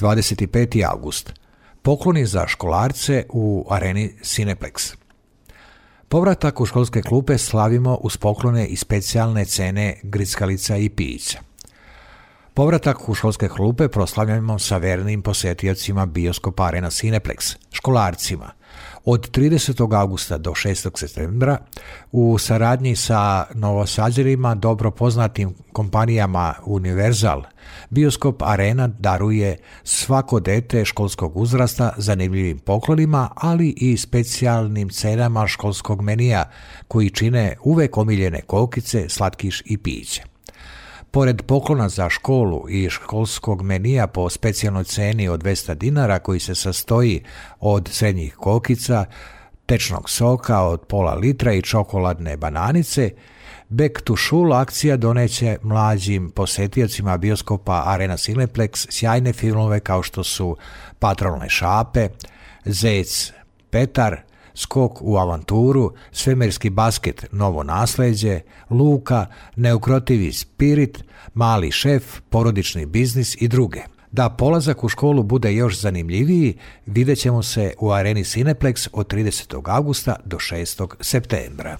25. august. Pokloni za školarce u areni Cineplex. Povratak u školske klupe slavimo uz poklone i specijalne cene grickalica i pića. Povratak u školske klupe proslavljamo sa vernim posjetiocima bioskopa Arena Cineplex, školarcima. Od 30. augusta do 6. septembra u saradnji sa novosađerima dobro poznatim kompanijama Universal, bioskop Arena daruje svako dete školskog uzrasta zanimljivim poklonima, ali i specijalnim cenama školskog menija koji čine uvek omiljene kokice, slatkiš i piće. Pored poklona za školu i školskog menija po specijalnoj ceni od 200 dinara koji se sastoji od srednjih kokica, tečnog soka od pola litra i čokoladne bananice, Back to School akcija doneće mlađim posjetiocima bioskopa Arena Cineplex sjajne filmove kao što su Patrolne šape, Zec Petar, Skok u avanturu, Svemirski basket, Novo nasleđe, Luka, Neukrotivi spirit, Mali šef, Porodični biznis i druge. Da polazak u školu bude još zanimljiviji, vidjet ćemo se u Areni Cineplex od 30. augusta do 6. septembra.